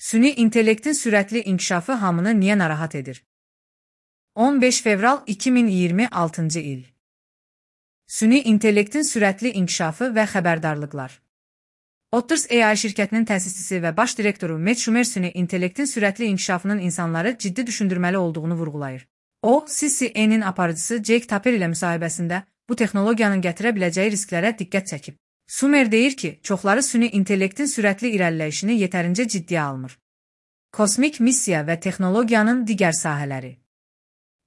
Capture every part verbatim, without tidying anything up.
Süni intellektin sürətli inkişafı hamını niyə narahat edir? on beş fevral iki min iyirmi altıncı il. Süni intellektin sürətli inkişafı və xəbərdarlıqlar. Otters A I şirkətinin təsisçisi və baş direktoru Matt Schumer süni intellektin sürətli inkişafının insanları ciddi düşündürməli olduğunu vurğulayır. O, C C N'in aparıcısı Jake Tapper ilə müsahibəsində bu texnologiyanın gətirə biləcəyi risklərə diqqət çəkib. Schumer deyir ki, çoxları süni intellektin sürətli irəliləyişini yetərincə ciddiyə almır. Kosmik missiya və texnologiyanın digər sahələri.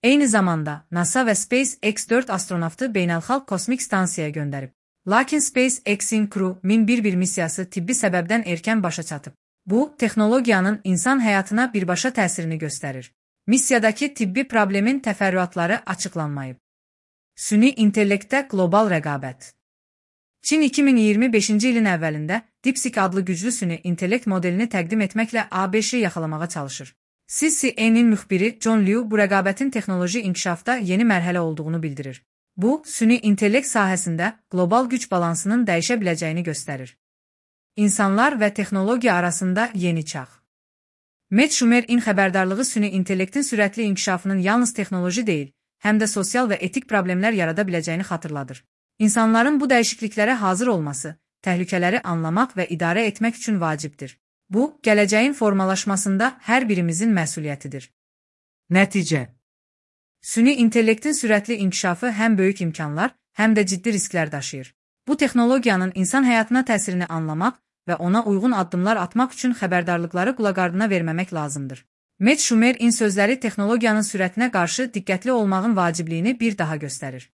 Eyni zamanda, NASA və SpaceX dörd astronavtı beynəlxalq kosmik stansiyaya göndərib. Lakin SpaceX-in Crew min bir bir missiyası tibbi səbəbdən erkən başa çatıb. Bu, texnologiyanın insan həyatına birbaşa təsirini göstərir. Missiyadakı tibbi problemin təfərrüatları açıqlanmayıb. Süni intellektdə qlobal rəqabət. Çin iki min iyirmi beşinci ilin əvvəlində DeepSeek adlı güclü süni intellekt modelini təqdim etməklə A B Ş-i yaxalamağa çalışır. C C N'in müxbiri John Liu bu rəqabətin texnoloji inkişafda yeni mərhələ olduğunu bildirir. Bu, süni intellekt sahəsində qlobal güc balansının dəyişə biləcəyini göstərir. İnsanlar və texnologiya arasında yeni çağ. Matt Schumer-in xəbərdarlığı süni intellektin sürətli inkişafının yalnız texnoloji deyil, həm də sosial və etik problemlər yarada biləcəyini xatırladır. İnsanların bu dəyişikliklərə hazır olması, təhlükələri anlamaq və idarə etmək üçün vacibdir. Bu, gələcəyin formalaşmasında hər birimizin məsuliyyətidir. Nəticə. Süni intellektin sürətli inkişafı həm böyük imkanlar, həm də ciddi risklər daşıyır. Bu texnologiyanın insan həyatına təsirini anlamaq və ona uyğun addımlar atmaq üçün xəbərdarlıqları qulaqardına verməmək lazımdır. Matt Schumer-in sözləri texnologiyanın sürətinə qarşı diqqətli olmağın vacibliyini bir daha göstərir.